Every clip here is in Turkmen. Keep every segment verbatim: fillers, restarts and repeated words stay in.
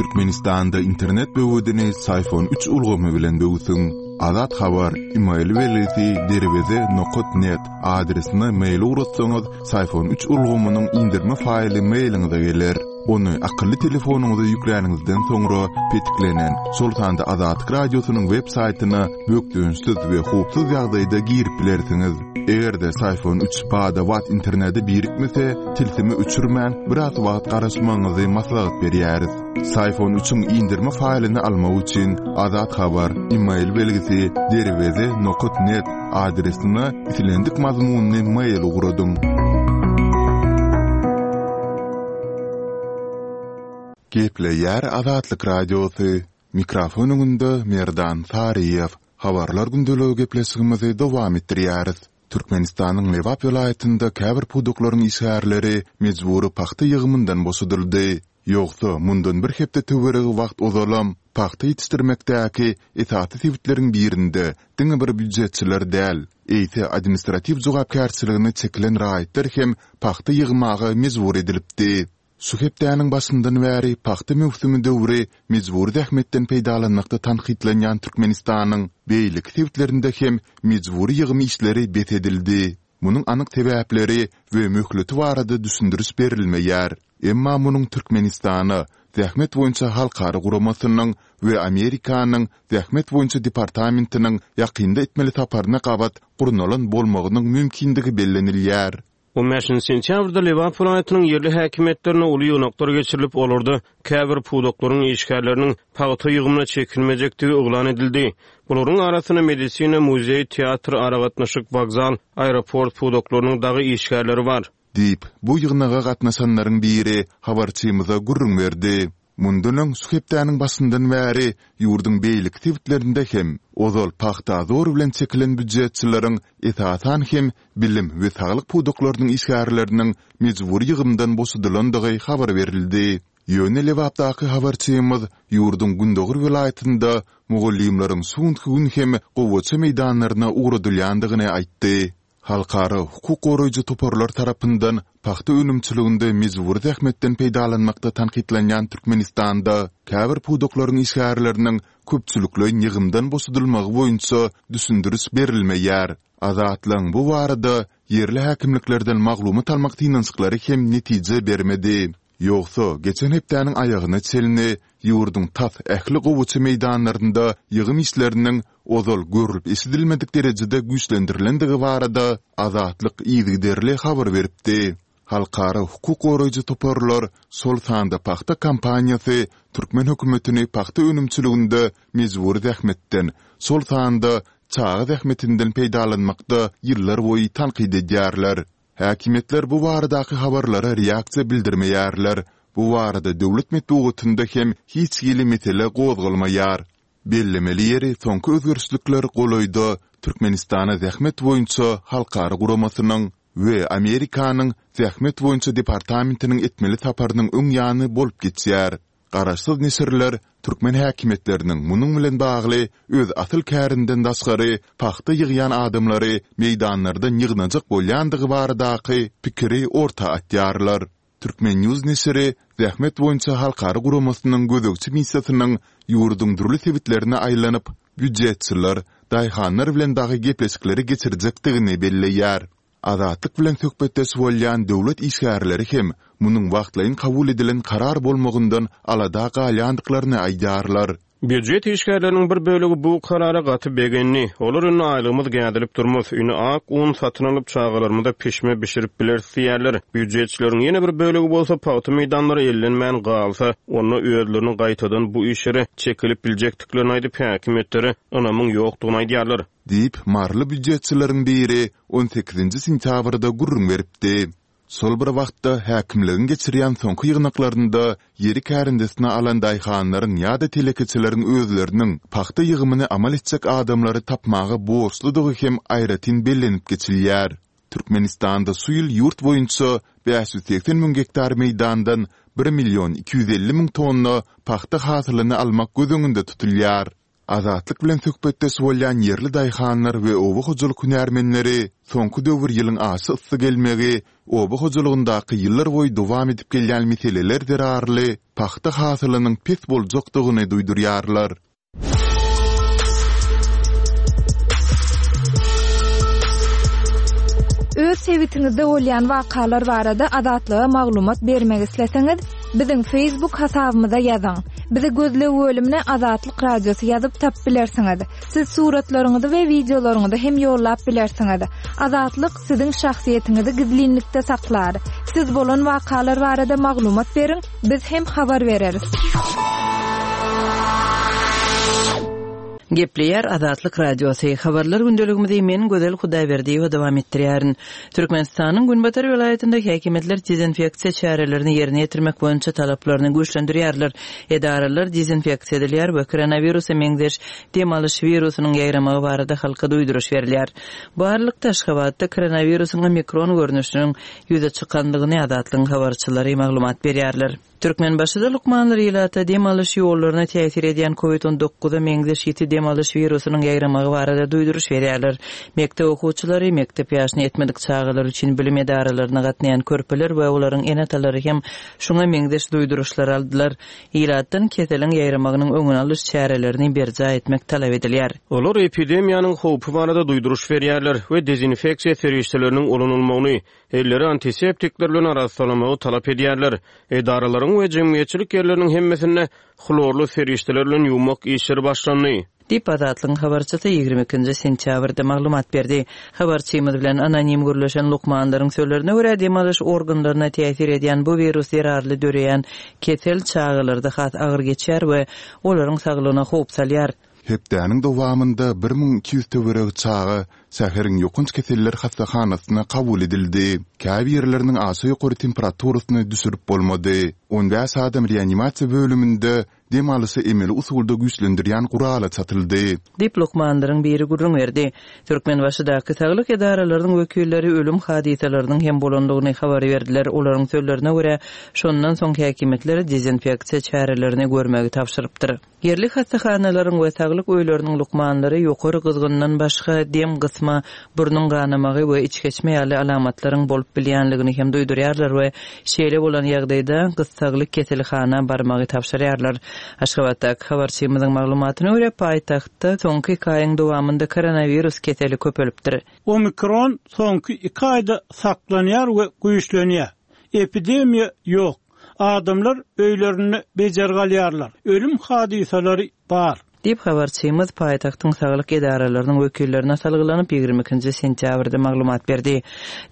Türkmenistanda internet böwedini Syfon üç ulgamy bilen böwsüň. Azat Habar, email belgisi derweze nokat net adresine mail ugratsaňyz, Syfon üç ulgamynyň indirme faýly mailiňize geler. Ony akylly telefonyňyza ýükläniňizden soňra petiklenen, şol sanda Azatlyk Radiosynyň web saýtyna bökdençsiz we howpsuz ýagdaýda girip bilersiňiz. Eger-de Syfon üç bada-bat internete birikmese, tilsimi öçürmän, biraz wagt garaşmagyňyzy maslahat berýäris. Syfon üçiň indirme faýlyny almak üçin Azat Habar, email belgisi derweze nokat net adresine islendik mazmunly mail ugradyň. Gepleýär Azatlyk Radiosy. Mikrofon öňünde Merdan Saryýew. Habarlar gündeligi gepleşigimizi dowam etdirýäris. Türkmenistanyň Lebap welaýatynda käbir pudaklaryň işgärleri mejbury pagta ýygymyndan boşadyldy. Ýogsa, mundan bir hepde töweregi wagt ozalam pagta ýetişdirmekdäki esasy sebitleriň birinde diňe bir býujetçiler däl, eýse administratiw jogapkärçiligine çekilen raýatlar hem pagta ýygmaga mejbur edilipdi. Şu hepdäniň başyndan bäri pagta möwsümi döwri mejbury zähmetden peýdalanmakda tankytlanýan Türkmenistanyň beýleki sebitlerinde hem mejbury ýygym işleri bes edildi. Munuň anyk sebäpleri we möhleti barada düşündiriş berilmeýär. Emma munuň Türkmenistana Zähmet boýunça halkara guramasynyň we Amerikanyň Zähmet boýunça departamentiniň ýakynda etmeli saparyna gabat gurnalan bolmagynyň mümkindigi bellenilýär. On bäşinji sentýabrda Lebap welaýatynyň ýerli häkimiýetlerine uly ýygnaklar geçirilip, olarda käbir pudaklaryň işgärleriniň pagta ýygymyna çekilmejekdigi yglan edildi. Bularyň arasynda medisina, muzeý, teatr, aragatnaşyk, wokzal, aeroport pudaklarynyň dagy işgärleri bar. Diýip, bu ýygnaga gatnaşanlaryň biri habarçymyza gürrüň berdi. Mundan öň şu hepdäniň başyndan bäri ýurduň beýleki sebitlerinde hem ozal pagta zor bilen çekilen býujetçileriň, esasan hem bilim we saglyk pudaklarynyň işgärleriniň mejbury ýygymdan boşadylandygy habar berildi. Ýöne Lebapdaky habarçymyz ýurduň gündogar welaýatynda mugallymlaryň şu günki gün hem gowaça meýdanlaryna ugradylýandygyny aýtdy. Halkara hukuk goraýjy toparlar tarapyndan pagta önümçiliginde mejbury zähmetden peýdalanmakda tankytlanýan Türkmenistanda käbir pudaklaryň işgärleriniň köpçülikleýin ýygymdan boşadylmagy boýunça düşündiriş berilmeýär. Azatlygyň bu barada ýerli häkimliklerden maglumat almak synanyşyklary hem netije bermedi. Ýogsa, geçen hepdäniň aýagyna çenli ýurduň tas ähli gowaça meýdanlarynda ýygym işleriniň ozal görlüp-eşidilmedik derejede güýçlendirilendigi barada Azatlyk yzygiderli habar beripdi. Halkara hukuk goraýjy toparlar, şol sanda pagta kampaniýasy türkmen hökümetini pagta önümçiliginde mejbury zähmetden, şol sanda çaga zähmetinden peýdalanmakda ýyllarboýy tankyt edýärler. Häkimiýetler bu baradaky habarlara reaksiýa bildirmeýärler, bu barada döwlet metbugatynda hem hiç hili mesele gozgalmaýar. Bellemeli ýeri, soňky özgerişlikler golaýda Türkmenistana Zähmet boýunça halkara guramasynyň we Amerikanyň Zähmet boýunça departamentiniň etmeli saparynyň öň ýany bolup geçýär. Garaşsyz neşirler türkmen häkimiýetleriniň munuň bilen bagly öz asyl kärinden daşgary pagta ýygýan adamlary meýdanlardan ýygnajak bolýandygy baradaky pikiri orta atýarlar. Turkmen. News neşiri Zähmet boýunça halkara guramasynyň gözegçi missiýasynyň ýurduň dürli sebitlerine aýlanyp, býujetçiler, daýhanlar bilen dagy gepleşikleri geçirjekdigini belleýär. Azatlyk bilen söhbetdeş bolýan döwlet işgärleri hem munuň wagtlaýyn kabul edilen karar bolmagyndan alada galýandyklaryny aýdýarlar. Býujet işgärleriniň bir bölegi bu karara gaty begendi. Olar indi aýlygymyz gädilip durmaz, indi ak un satyn alyp çagalarymyza pişme bişirip bileris diýýärler. Býujetçileriň ýene bir bölegi bolsa pagta meýdanlary ellenmän galsa, onda özleriniň gaýtadan bu işlere çekilip biljekdiklerini aýdyp, häkimiýetlere ynamyň ýokdugyny aýdýarlar. Diýip, maryly býujetçileriň biri on sekizinji sentýabrda gürrüň beripdi. Şol bir wagtda, häkimligiň geçirýän soňky ýygnaklarynda ýeri kärendesine alan daýhanlaryň ýa-da telekeçileriň özleriniň pagta ýygymyny amal etjek adamlary tapmaga borçludygy hem aýratyn bellenip geçilýär. Türkmenistanda şu ýyl ýurt boýunça bäş ýüz segsen müň gektar meýdandan bir million iki ýüz elli müň tonna pagta hasylyny almak göz öňünde tutulýar. Azatlyk bilen söhbetdeş bolýan ýerli daýhanlar we oba hojalyk hünärmenleri soňky döwür ýylyň aşa yssy gelmegi, oba hojalygyndaky ýyllarboýy dowam edip gelýän meseleler zerarly pagta hasylynyň pes boljakdygyny duýdurýarlar. Öz sebitiňizde bolýan wakalar barada Azatlyga maglumat bermek isleseňiz, biziň Facebook hasabymyza ýazyň. Bizi gözleg bölümine Azatlyk Radiosy ýazyp tapyp bilersiňiz. Siz suratlaryňyzy we wideolaryňyzy hem ýollap bilersiňiz. Azatlyk siziň şahsyýetiňizi gizlinlikde saklar. Siz bolan wakalar barada maglumat beriň, biz hem habar bereris. Gepleýär Azatlyk Radiosy. Habarlar gündeligimizi men Gözel Hudaýberdiýewa dowam etdirýärin. Türkmenistanyň Günbatar welaýatynda häkimiýetler dezinfeksiýa çärelerini ýerine ýetirmek boýunça talaplaryny güýçlendirýärler. Edaralar dezinfeksiýa edilýär we koronawirusa meňzeş dem alyş wirusynyň ýaýramagy barada halka duýduryş berilýär. Bu aralykda Aşgabatda koronawirusyň omikron görnüşiniň ýüze çykandygyny Azatlygyň habarçylary maglumat berýärler. Türkmenbaşyda lukmanlar ilata dem alyş ýollaryna täsir edýän COVID on dokuza meňzeş ýiti dem alyş wirusynyň ýaýramagy barada duýduryş berýärler. Mekdep okuwçylary, mekdep ýaşyna ýetmedik çagalar üçin bilim edaralaryna gatnaýan körpeler we olaryň ene-atalary hem şuňa meňzeş duýduryşlar aldylar. Ilatdan keseliň ýaýramagynyň öňüni alyş çärelerini berjaý etmek talap edilýär. Olar epidemiýanyň howpy barada duýduryş berýärler we dezinfeksiýa serişdeleriniň ulanylmagyny, elleri antiseptikler bilen arassalamagy talap edýärler. Edaralaryň we jemgyýetçilik ýerleriniň hemmesinde hlorly serişdeler bilen ýuwmak işleri başlandy. Diýip Azatlygyň habarçysy ýigrimi ikinji sentýabrda maglumat berdi. Habarçymyz bilen anonim gürleşen lukmanlaryň sözlerine görä dem alyş organlaryna täsir edýän bu wirus zerarly döreýän kesel çagalarda has agyr geçýär we olaryň saglygyna howp salýar. Hepdäniň dowamynda bir müň iki ýüz töweregi çaga şäheriň ýokanç keseller hassahanasyna kabul edildi. Käbirleriniň aşa ýokary temperaturasyny düşürip bolmady. On bäş adam reanimasiýa bölüminde dem alyşy emeli usulda güýçlendirýän gurala çatyldy. Diýip lukmanlaryň biri gürrüň berdi. Türkmenbaşydaky saglyk edaralarynyň wekilleri ölüm hadysalarynyň hem bolandygyny habar berdiler. Olaryň sözlerine görä, şondan soň häkimiýetler dezinfeksiýa çärelerini görmegi tabşyrypdyr. Ýerli hassahanalaryň we saglyk öýleriniň lukmanlary ýokary gyzgyndan başga dem gysma, burnuň ganamagy we içgeçme ýaly alamatlaryň bolup bilýänligini hem duýdurýarlar we şeýle bolan ýagdaýda gyssagly keselhana barmagy tabşyrýarlar. Aşgabatdaky habarçymyzyň maglumatyna görä, paýtagtda soňky iki aýyň dowamynda koronawirus keseli köpelipdir. Omikron soňky iki aýda saklanýar we güýçlenýär. Epidemiýa ýok. Adamlar öýlerinde bejergi alýarlar. Ölüm hadysalary bar. Diýip habarçymyz paýtagtyň saglyk edaralarynyň wekillerine salgylanyp ýigrimi ikinji sentýabrda maglumat berdi.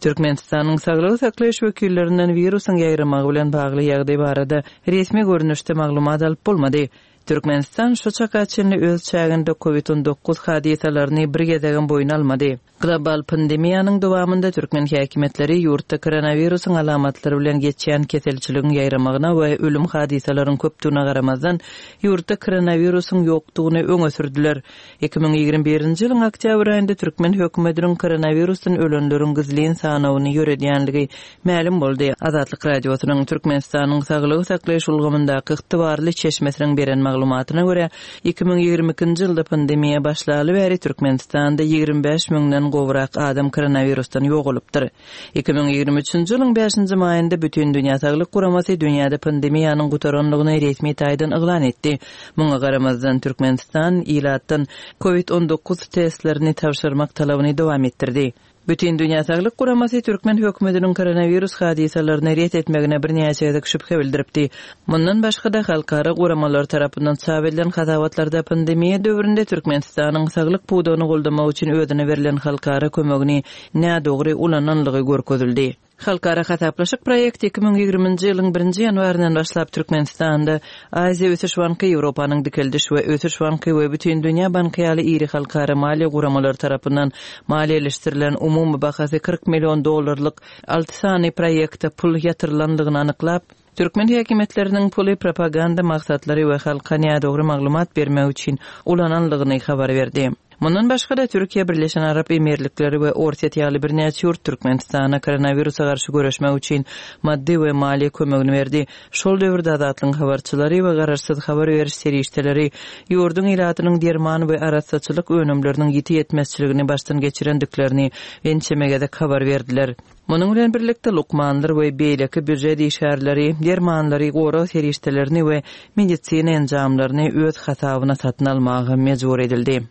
Türkmenistanyň saglygy saklaýyş wekillerinden wirusyň ýaýramagy bilen bagly ýagdaý barada resmi görnüşde maglumat alyp bolmady. Türkmenistan şu çaka çenli öz çäginde COVID on dokuz hadysalaryny bir gezegem boýun almady. Global pandemiýanyň dowamynda türkmen häkimiýetleri ýurtda koronawirusyň alamatlary bilen geçýän keselçiligiň ýaýramagyna we ölüm hadysalaryň köpdügine garamazdan ýurtda koronawirusyň ýokdugyny öňe sürdüler. Iki müň ýigrimi birinji ýylyň oktýabr aýynda türkmen hökümetiniň koronawirusdan ölenleriň gizlin sanawyny ýöredýänligi mälim boldy. Azatlyk Radiosynyň Türkmenistanyň saglygy saklaýyş ulgamyndaky ygtybarly çeşmesiniň beren maglumatyna görä, iki müň ýigrimi ikinji ýylda pandemiýa başlaly bäri Türkmenistanda ýigrimi bäş müňden gowrak adam koronawirusdan ýogalypdyr. Iki müň ýigrimi üçünji ýylyň bäşinji maýynda Bütün Dünýä Saglyk Guramasy dünýäde pandemiýanyň gutaranlygyny resmi taýdan yglan etdi. Muňa garamazdan Türkmenistan ilatdan COVID on dokuz testlerini tabşyrmak talabyny dowam etdirdi. Bütün Dünýä Saglyk Guramasy türkmen hökümetiniň koronawirus hadysalaryny ret etmegine birnäçe gezek şübhe bildiripdi. Mundan başga-da halkara guramalar tarapyndan çap edilen hasabatlarda pandemiýa döwründe Türkmenistanyň saglyk pudagyny goldamak üçin özüne berlen halkara kömegini nädogry ulananlygy görkezildi. Halkara hasaplaşyk proýekti iki müň ýigriminji ýylyň birinji ýanwaryndan başlap Türkmenistanda Aziýa Ösüş Banky, Ýewropanyň Dikeldiş we Ösüş Banky we Bütün Dünýä Banky ýaly iri halkara maliýe guramalary tarapyndan maliýeleşdirilen umumy bahasy kyrk million dollarlyk alty sany proýekte pul ýatyrylandygyny anyklap, türkmen häkimiýetleriniň puly propaganda maksatlary we halka nädogry maglumat bermek üçin ulananlygyny habar berdi. Mundan başga-da Türkiýe, Birleşen Arap Emirlikleri we Orsýet ýaly birnäçe ýurt Türkmenistana koronawirusa garşy göreşmek üçin maddy we maliýe kömegini berdi. Şol döwürde Azatlygyň habarçylary we garaşsyz habar beriş serişdeleri ýurduň ilatynyň derman we arassaçylyk önümleriniň ýiti ýetmezçiligini başdan geçirendiklerini ençeme gezek habar berdiler. Munuň bilen birlikde lukmanlar we beýleki býujet işgärleri dermanlary, gorag serişdelerini we medisina enjamlaryny öz hasabyna satyn almaga mejbur edildi.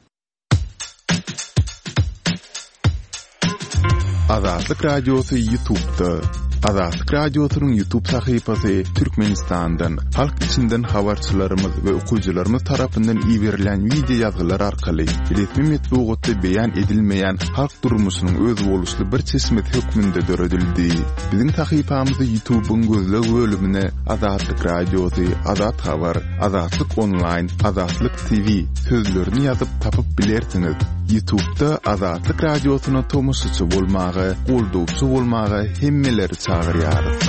Azatlyk Radiosy YouTube'da. Azatlyk Radiosynyň YouTube sahypasy Türkmenistandan, halk içinden habarçylarymyz we okyjylarymyz tarapyndan iberilen wideo ýazgylar arkaly resmi metbugatda beýan edilmeýän halk durmuşynyň özboluşly bir çeşmesi hökmünde döredildi. Biziň sahypamyzy YouTube'yň gözleg bölümine Azatlyk Radiosy, Azat Habar, Azatlyk Online, Azatlyk T V sözlerini ýazyp tapyp bilersiňiz. YouTube'da Azatlyk Radiosyna tomaşaçy bolmaga, goldawçy bolmaga hemmeleri çagyrýarys.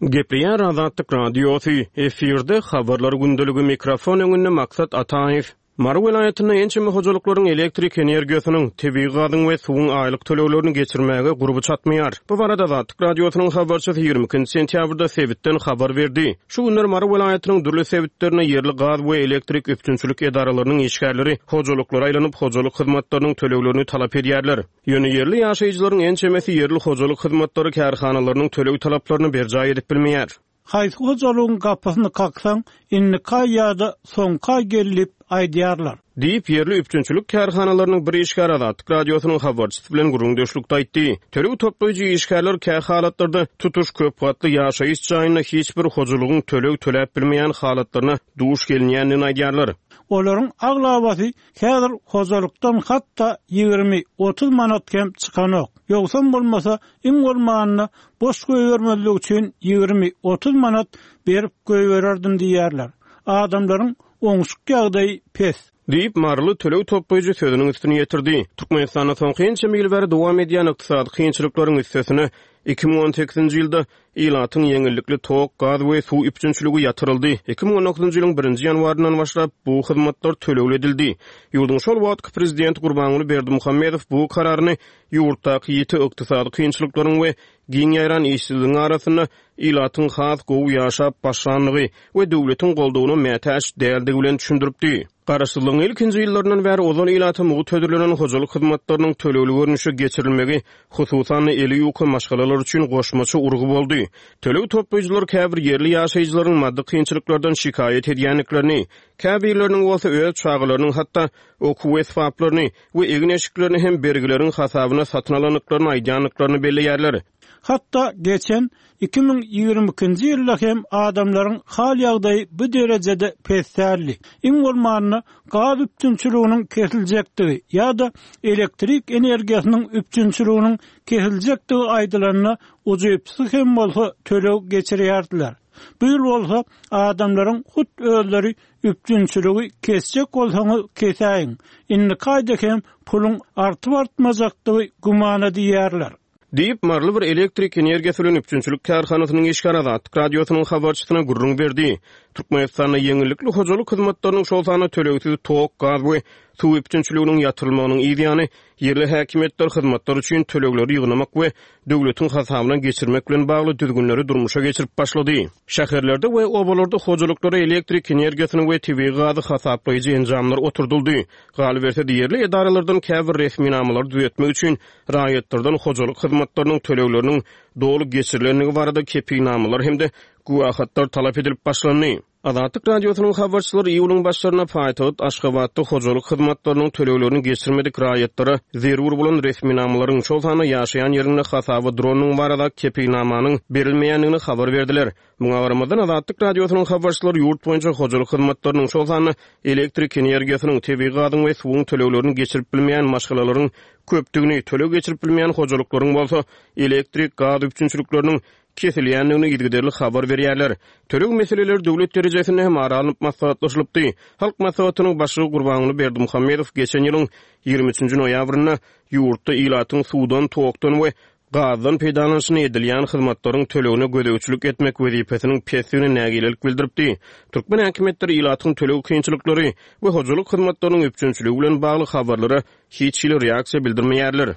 Gepleýär Azatlyk Radiosy, efirde habarlar gündeligi, mikrofon öňünde Maksat Ataýew. Mary welaýatynda ençeme hojalyklaryň elektrik energiýasynyň, tebigy gazyň we suwuň aýlyk töleglerini geçirmäge gurby çatmaýar. Bu barada Azatlyk Radiosynyň habarçysy ýigrimi ikinji sentýabrda sebitden habar berdi. Şu günler Mary welaýatynyň dürli sebitlerine ýerli gaz we elektrik üpjünçilik edaralarynyň işgärleri hojalyklara aýlanyp hojalyk hyzmatlarynyň töleglerini talap edýärler. Ýöne ýerli ýaşaýjylaryň ençemesi ýerli hojalyk hyzmatlary kärhanalarynyň töleg talaplaryny berjaý edip bilmeýär. Haýsy hojalygyň gapysyny kaksaň, indi kaý ýa-da soňka gelip aýdýarlar. Diýip, ýerli üpjünçilik kärhanalarynyň bir işgäri Azatlyk Radiosynyň habarçysy bilen gürrüňdeşlikde aýtdy. Töleg toplaýjy işgärler kä halatlarda tutuş köp gatly ýaşaýyş jaýynda hiç bir hojalygyň töleg töläp bilmeýän halatlaryna duş gelinýändigini aýdýarlar. Olaryň aglabasy häzir hojalykdan hatda ýigrimi otuz manat hem çykanok. Ýogsam bolmasa, iň bolmanda boş goýbermezlik üçin ýigrimi otuz manat berip goýbererdim diýýärler. Adamlaryň oňşuk ýagdaýy pes. Diýip, Maryly töleg toplaýjy sözüniň üstüni ýetirdi. Türkmenistanda soňky ençeme ýyl bäri dowam edýän ykdysady kynçylyklaryň üstesine iki müň on sekizinji ýylda ilatyň ýeňillikli tok, gaz we suw üpjünçiligi ýatyryldy. Iki müň on dokuzynjy ýylyň birinji ýanwaryndan başlap bu hyzmatlar tölegli edildi. Ýurduň şol wagtky prezidenti Gurbanguly Berdimuhamedow bu kararyny ýurtdaky ýiti ykdysady kynçylyklaryň we giň ýaýran işsizligiň arasynda ilatyň has gowy ýaşap başlandygy we döwletiň goldawyna mätäç däldigi bilen düşündiripdi. Garaşsyzlygyň ilkinji ýyllaryndan bäri ozal ilata mugt hödürlenen hojalyk hyzmatlarynyň tölegli görnüşe geçirilmegi hususan eli ýuka maşgalalar üçin goşmaça urgy boldy. Töleg toplaýjylar käbir ýerli ýaşaýjylaryň maddy kynçylyklardan şikaýat edýändiklerini, käbirleriniň bolsa öz çagalarynyň hatda okuw esbaplaryny we egin-eşiklerini hem bergileriň hasabyna satyn alandyklaryny aýdýandyklaryny belleýärler. Hatda geçen iki müň ýigrimi ikinji ýylda hem adamlaryň hal ýagdaýy bu derejede pesdärli. Iň bolmanda gaz üpjünçiliginiň kesiljekdigi ýa-da elektrik energiýasynyň üpjünçiliginiň kesiljekdigi aýdylanda ujypsyz hem bolsa töleg geçirýärdiler. Bu ýyl bolsa adamlaryň hut özleri üpjünçiligi kesjek bolsaňyz kesäýiň. Indi kaýda hem puluň artyp artmajakdygy gümana diýýärler. Diýip, Maryly bir elektrik energiýasy bilen üpjünçilik kärhanasynyň işgäri Azatlyk Radiosynyň habarçysyna gürrüň berdi. Türkmenistanda ýeňillikli hojalyk hyzmatlarynyň şol sanda tölegsiz tok, gaz we suw üpjünçiliginiň ýatyrylmagynyň yz ýany ýerli häkimiýetler hyzmatlar üçin tölegleri ýygnamak we döwletiň hasabyna geçirmek bilen bagly düzgünleri durmuşa geçirip başlady. Şäherlerde we obalarda hojalyklara elektrik energiýasyny we tebigy gazy hasaplaýjy enjamlar oturdyldy. Galyberse, ýerli edaralardan käbir resminamalary düzetmek üçin raýatlardan hojalyk hyzmatlarynyň tölegleriniň doly geçirilendigi barada kepilnamalar hem-de güwahatlar talap edilip başlandy. Azatlyk Radiosynyň habarçylary iýulyň başlarynda paýtagt Aşgabatda hojalyk hyzmatlarynyň töleglerini geçirmedik raýatlara zerur bolan resminamalaryň şol sanda ýaşaýan ýerinde hasaba duranyň barada kepilnamanyň berilmeýändigini habar berdiler. Muňa garamazdan Azatlyk Radiosynyň habarçylary ýurt boýunça hojalyk hyzmatlarynyň şol sanda elektrik energiýasynyň, tebigy gazyň we suwuň töleglerini geçirip bilmeýän maşgalalaryň köpdügini, töleg geçirip bilmeýän hojalyklaryň bolsa elektrik gaz üpjünçilikleriniň kesilýändigini yzygiderli habar berýärler. Töleg meseleleri döwlet derejesinde hem ara alnyp maslahatlaşylypdy. Halk maslahatynyň başlygy Gurbanguly Berdimuhamedow geçen ýylyň ýigrimi üçünji noýabrynda ýurtda ilatyň suwdan, tokdan we gazdan peýdalanyşyna edilýän hyzmatlaryň tölegine gözegçilik etmek wezipesiniň pesdigine nägilelik bildiripdi. Türkmen häkimiýetleri ilatyň töleg kynçylyklary we hojalyk hyzmatlarynyň üpjünçiligi bilen bagly habarlara hiç hili reaksiýa bildirmeýärler.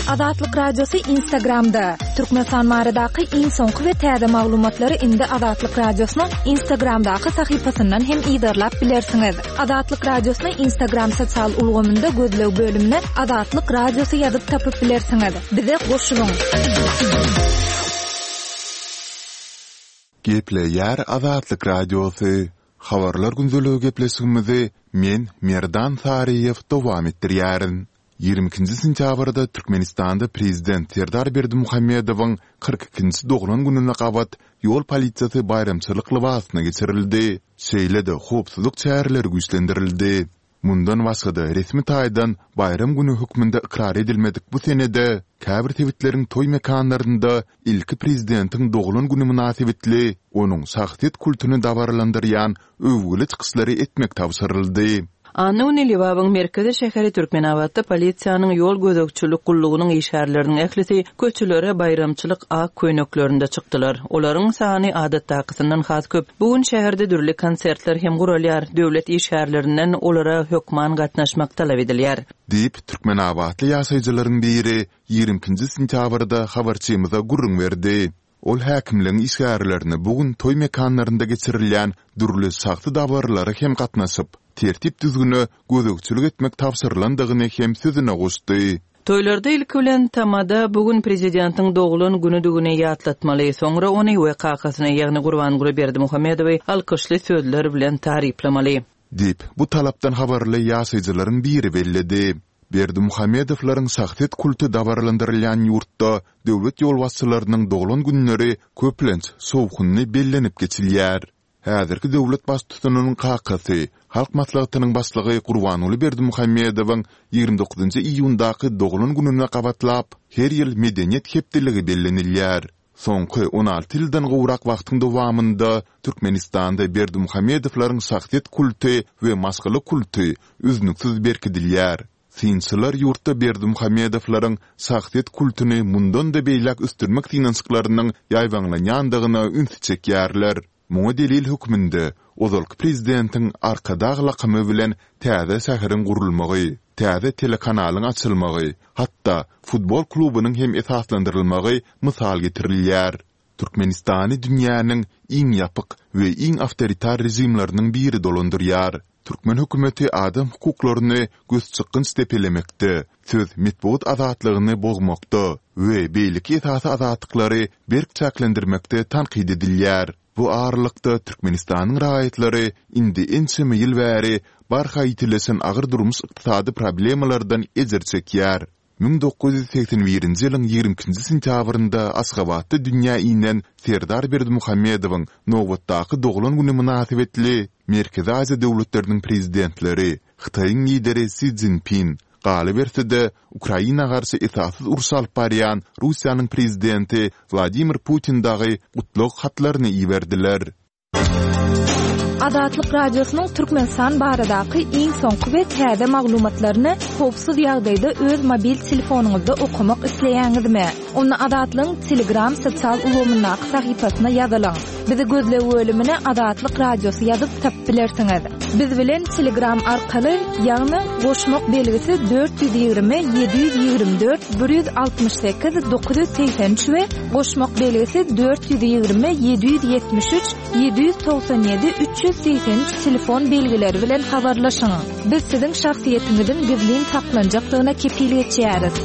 Azatlyk Radiosy Instagramda. Türkmenistan baradaky iň soňky we täze maglumatlary indi Azatlyk Radiosynyň Instagramdaky sahypasyndan hem yzarlap bilersiňiz. Azatlyk Radiosyny Instagram sosial ulgamynda gözleg bölümine Azatlyk Radiosy ýazyp tapyp bilersiňiz. Bize goşulyň. Gepleýär Azatlyk Radiosy. Habarlar gündeligi gepleşigimizi men, Merdan Saryýew dowam etdirýärin. Ýigrimi ikinji sentýabrda Türkmenistanda prezident Serdar Berdimuhamedowyň kyrk ikinji doglan gününe gabat ýol polisiýasy baýramçylyk lybasyna geçirildi, şeýle-de howpsuzlyk çäreleri güýçlendirildi. Mundan başga-da, resmi taýdan baýram güni hökmünde ykrar edilmedik bu senede käbir sebitleriň toý mekanlarynda ilki prezidentiň doglan güni mynasybetli onuň şahsyýet kultuny dabaralandyrýan öwgüli çykyşlary etmek tabşyryldy. Anna güni Lebabyň merkezi şäheri Türkmenabatda polisiýanyň ýol gözegçilik gullugynyň işgärleriniň ählisi köçelere baýramçylyk ak köýneklerinde çykdylar. Olaryň sany adatdakysyndan has köp. Bu gün şäherde dürli konsertler hem guralýar. Döwlet işgärlerinden olara hökman gatnaşmak talap edilýär. Diýip, türkmenabatly ýaşaýjylaryň biri ýigrimi ikinji sentýabrda habarçymyza gürrüň berdi. Ol häkimligiň işgärlerine bu gün toý mekanlarynda geçirilýän dürli şahsy dabaralara hem gatnaşyp, tertip-düzgüne gözegçilik etmek tabşyrylandygyny hem sözüne goşdy. Toýlarda ilki bilen tamada bu gün prezidentiň doglan günüdigini ýatlatmaly, soňra ony we kakasyny, ýagny Gurbanguly Berdimuhamedowy alkyşly sözler bilen taryplamaly. Diýip, bu talapdan habarly ýaşaýjylaryň biri belledi. Berdimuhamedowlaryň şahsyýet kulty dabaralandyrylýan ýurtda döwlet ýolbaşçylarynyň doglan günleri köplenç şowhunly bellenip geçilýär. Häzirki döwlet baştutanynyň kakasy, Halk Maslahatynyň Başlygy Gurbanguly Berdimuhamedowyň ýigrimi dokuzynjy iýundaky doglan gününe gabatlap, her ýyl Medeniýet hepdeligi bellenilýär. Soňky on alty ýyldan gowrak wagtyň dowamynda Türkmenistanda Berdimuhamedowlaryň şahsyýet kulty we maşgala kulty üznüksiz berkidilýär. Synçylar ýurtda Berdimuhamedowlaryň şahsyýet kultuny mundan-da beýläk ösdürmek synanyşyklarynyň ýaýbaňlanýandygyna ünsi çekýärler. Muňa delil hökmünde ozalky prezidentiň Arkadag lakamy bilen täze şäheriň gurulmagy, täze telekanalyň açylmagy, hatda futbol klubunyň hem esaslandyrylmagy mysal getirilýär. Türkmenistany dünýäniň iň ýapyk we iň awtoritar režimleriniň biri dolandyrýar. Türkmen hökümeti adam hukuklaryny gözçykgynç depelemekde, söz, metbugat azatlygyny bozmakda we beýleki esasy azatlyklary berk çäklendirmekde tankyt edilýär. Bu aralykda, Türkmenistanyň raýatlary indi ençeme ýyl bäri barha ýitileşen agyr durmuş-ykdysady problemalardan ejir çekýär. Müň dokuz ýüz segsen birinji ýylyň ýigrimi ikinji sentýabrynda Aşgabatda dünýä inen Serdar Berdimuhamedowyň nobatdaky doglan güni mynasybetli Merkezi Aziýa döwletleriniň Prezidentleri, Hytaýyň Lideri Si Szinpin, galyberse-de, Ukraina garşy esassyz uruş alyp barýan Russiýanyň Prezidenti Wladimir Putin dagy gutlag hatlaryny iberdiler. Azatlyk Radiosynyň Türkmenistan baradaky iň soňky we täze maglumatlaryny howpsuz ýagdaýda öz mobil telefonyňyzda okamak isleýäňizmi? Onda Azatlygyň Telegram sosial ulgamyndaky sahypasyna ýazylyň. Bizi gözleg bölümine Azatlyk Radiosy ýazyp tapyp bilersiňiz. Biz bilen Telegram arkaly, ýagny goşmak belgisi dört ýüz ýigrimi ýedi ýüz ýigrimi dört bir ýüz altmyş sekiz dokuz ýüz segsen üç we goşmak belgisi dört ýüz ýigrimi ýedi ýüz ýetmiş üç ýedi ýüz togsan ýedi üç ýüz segsen üç telefon belgileri bilen habarlaşyň. Biz siziň şahsyýetiňiziň gizlin saklanjakdygyna kepil geçýäris.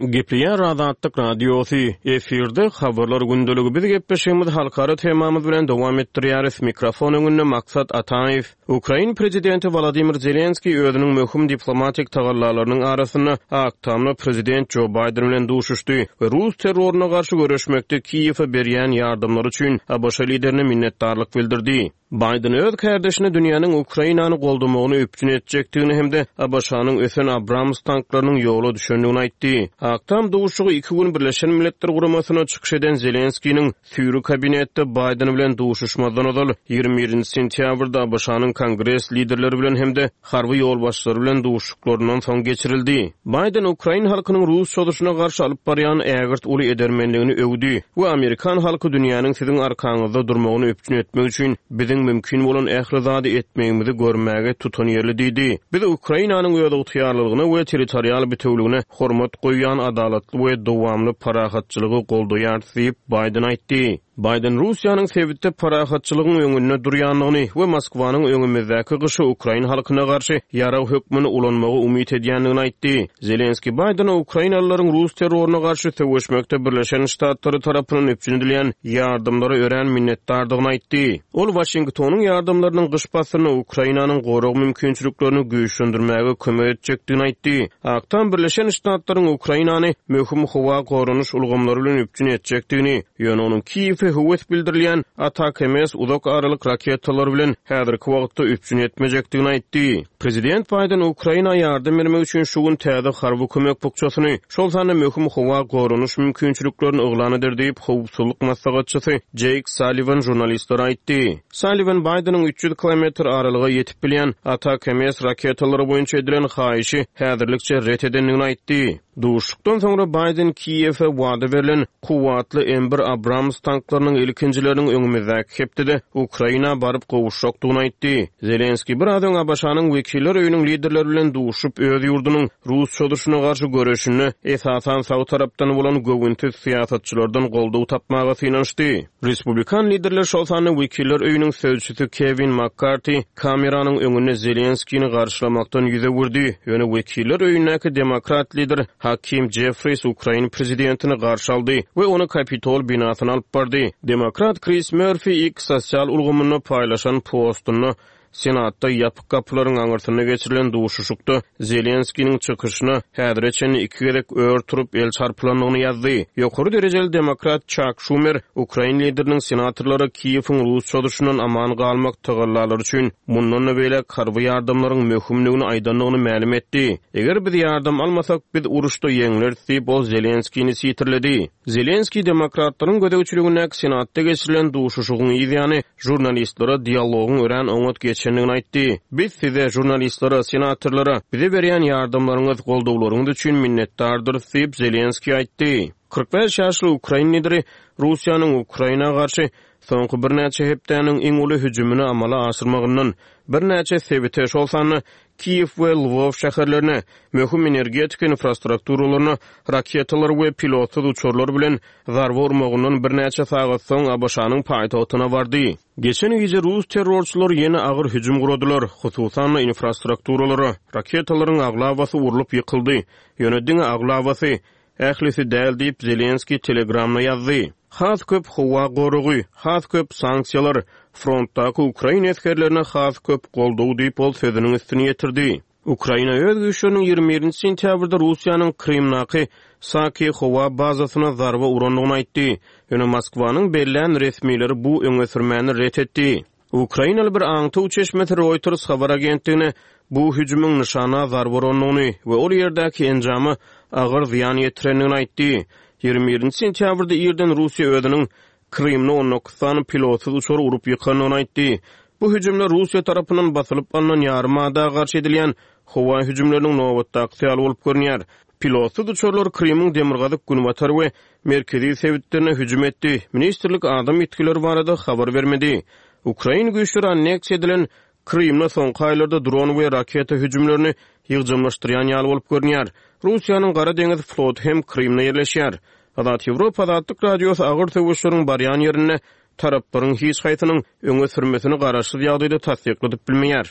Gepleýär Azatlyk Radiosy. Efirde habarlar gündeligi. Biz gepleşigimizi halkara temamyz bilen dowam etdirýäris. Mikrofon öňünde Maksat Ataýew. Ukrain prezidenti Wladimir Zelenskiý özüniň möhüm diplomatik tagallalarynyň arasynda Ak Tamda prezident Jo Baýden bilen duşuşdy we rus terroryna garşy göreşmekde Kiýewe berýän ýardamlary üçin A B Ş liderine minnetdarlyk bildirdi. Baýden öz kärdeşine dünýäniň Ukrainany goldamagyny üpjün etjekdigini hem-de ABŞ-nyň ösen Abrams tanklarynyň ýola düşendigini aýtdy. Ak Tam duşuşygy iki gün Birleşen Milletler Guramasyna çykyş eden Zelenskiniň süýri kabinetde Baýden bilen duşuşmazdan ozal ýigrimi birinji sentýabrda ABŞ-nyň Kongres liderleri bilen hem-de harby ýolbaşçylary bilen duşuşyklaryndan soň geçirildi. Baýden ukrain halkynyň rus çozuşyna garşy alyp barýan ägirt uly edermenligini öwdi we amerikan halky dünýäniň siziň arkaňyzda durmagyny üpjün etmek üçin biziň mümkin bolan ähli zady etmegimizi görmäge tutanýerli diýdi. Biz Ukrainanyň özygtyýarlylygyna we territorial bütewligine hormat goýýan adalatly we dowamly parahatçylygy goldaýarys diýip Baýden aýtdy. Baýden Russiýanyň sebitde parahatçylygyň öňünde durýandygyny we Moskwanyň öňümizdäki gyşy ukrain halkyna garşy ýarag hökmünde ulanmagy umyt edýändigini aýtdy. Zelenski Baýdena ukrainalylaryň rus terroryna garşy söweşmekde Birleşen Ştatlary tarapyndan üpjün edilýän ýardamlara örän minnetdardygyny aýtdy. Ol Waşingtonyň ýardamlarynyň gyş paslynda Ukrainanyň gorag mümkinçiliklerini güýçlendirmäge kömek etjekdigini aýtdy. Ak Tam Birleşen Ştatlaryň Ukrainany möhüm howa goranyş ulgamlary bilen üpjün etjekdigini, ýöne onuň Kiýewe höwes bildirilýän ATACMS uzak aralyk raketalary bilen häzirki wagtda üpjün etmejekdigini aýtdy. Prezident Baýden Ukraina ýardam bermek üçin şu gün täze harby kömek bukjasyny, şol sanda möhüm howa goranyş mümkinçiliklerini yglan eder diýip, howpsuzlyk maslahatçysy Jake Sullivan žurnalistlere aýtdy. Sullivan Baýdeniň üç ýüz kilometr aralyga ýetip bilýän ATACMS raketalary boýunça edilen haýyşy häzirlikçe ret edendigini aýtdy. Duşuşykdan soňra Baýden Kiýewe wada berlen kuwwatly M bir Abrams tanklarynyň ilkinjileriniň öňümizdäki hepdede Ukraina baryp gowuşjakdygyny aýtdy. Zelenski biraz öň ABŞ-nyň wekiller öýüniň liderleri bilen duşup, öz ýurdunyň rus çozuşyna garşy göreşinde esasan sag tarapdan bolan göwünsiz syýasatçylardan goldaw tapmaga synanyşdy. Respublikan liderler, şol sanda wekiller öýüniň sözçüsi Kewin Makkarti kameranyň öňünde Zelenskini garşylamakdan ýüz öwürdi. Ýöne wekiller öýündäki demokrat lider Hakim Jeffries Ukrain prezidentini garşy aldy we ony Kapitol binasyna alyp bardy. Demokrat Chris Murphy X sosial ulgamynda paýlaşan postunda Senatda ýapyk gapylaryň aňyrsynda geçirilen duşuşykda Zelenskiniň çykyşyna häzire çenli iki gezek ör turup el çarpylandygyny ýazdy. Ýokary derejeli demokrat Chuck Schumer Ukrain lideriniň senatorlara Kiýewiň rus çozuşyndan aman galmak tagallalary üçin mundan da beýläk harby ýardamlaryň möhümligini aýdandygyny mälim etdi. Eger biz ýardam almasak, biz uruşda ýeňleris diýip ol Zelenskini sitirledi. Zelenski demokratlaryň gözegçiligindäki Senatda geçirilen duşuşygyň ýany žurnalistlere dialogyň örän oňat geçendigini aýtdy. Biz size žurnalistlere, senatorlara bize berýän ýardamlaryňyz, goldawlaryňyz üçin minnetdardyrys diýip Zelenski aýtdy. Kyrk bäş ýaşly Ukrain lideri Russiýanyň Ukraina garşy soňky birnäçe hepdäniň iň uly hüjümini amala aşyrmagyndan birnäçe sebite, şol sanda Kiýew we Lwow şäherlerine, möhüm energetika infrastrukturalaryna raketalar we pilotsyz uçarlar bilen zarba urmagyndan birnäçe sagat soň ABŞ-nyň paýtagtyna bardy. Geçen gije rus terrorçylary ýene agyr hüjüm guradylar, hususan infrastrukturalara, raketalaryň aglabasy urlup ýykyldy. Ýöne diňe aglabasy, ählisi däl diýip Zelenski Telegramda ýazdy. Has köp howa goragy, has köp sanksiýalar, frontdaky ukrain esgerlerine has köp goldaw diýip ol sözüniň üstüni ýetirdi. Ukraina öz güýçleriniň ýigrimi birinji sentýabrda Russiýanyň Krymdaky Saki howa bazasyna zarba urandygyny aýtdy. Ýöne Moskwanyň bellän resmileri bu öňe sürmäni ret etdi. Ukrainaly bir aňtaw çeşmesi Reuters habar agentligine bu hüjümiň nyşana zarba urandygyny we ol ýerdäki enjama agyr zyýan ýetirendigini aýtdy. Ýigrimi birinji sentýabrda irden Russiýa özüniň Krymda on dokuz sany pilotsyz uçary urup ýykandygyny aýtdy. Bu hüjümler Russiýa tarapyndan basylyp alnan ýarym ada garşy edilýän howa hüjümleriniň nobatdaky ýaly bolup görünýär. Pilotsyz uçarlar Krymyň demirgazyk, günbatar we merkezi sebitlerine hüjüm etdi. Ministrlik adam ýitgileri barada habar bermedi. Ukrain güýçleri anneksiýa edilen Krymda soňky aýlarda dron we raketa hüjümlerini ýygjamlaşdyrýan ýaly bolup görünýär. Russiýanyň Gara deňiz floty hem Krymda ýerleşýär. Azat Ýewropa Azatlyk Radiosy agyr söweşleriň barýan ýerinde taraplaryň hiç haýsynyň öňe sürmesini garaşsyz ýagdaýda tassykladyp bilmeýär.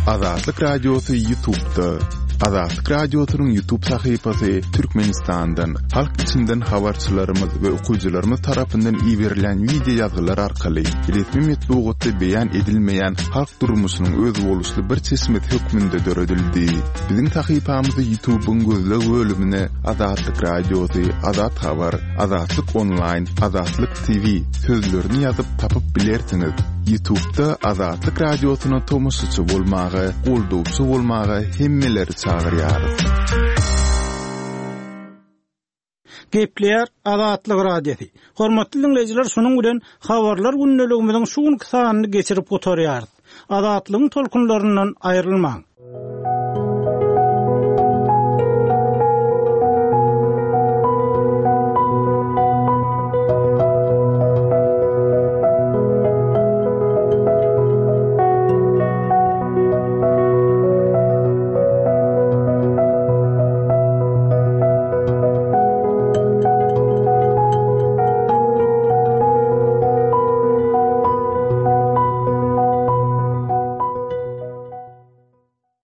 Azatlyk Radiosy YouTube'da. Azatlyk Radiosynyň YouTube sahypasy Türkmenistandan, halk içinden habarçylarymyz we okyjylarymyz tarapyndan iberilen wideo ýazgylar arkaly resmi metbugatda beýan edilmeýän halk durmuşynyň özboluşly bir çeşmesi hökmünde döredildi. Biziň sahypamyzy YouTube'yň gözleg bölümine Azatlyk Radiosy, Azat Habar, Azatlyk Online, Azatlyk TV sözlerini ýazyp tapyp bilersiňiz. YouTube'da Azatlyk Radiosyna tomaşaçy bolmaga, goldawçy bolmaga hemmeleri çagyrýarys. Gepleýär Azatlyk Radiosy. Hormatly dinleýjiler, şunuň bilen habarlar gündeligimiziň şu günki sanyny geçirip gutarýarys. Azatlygyň tolkunlaryndan aýrylmaň.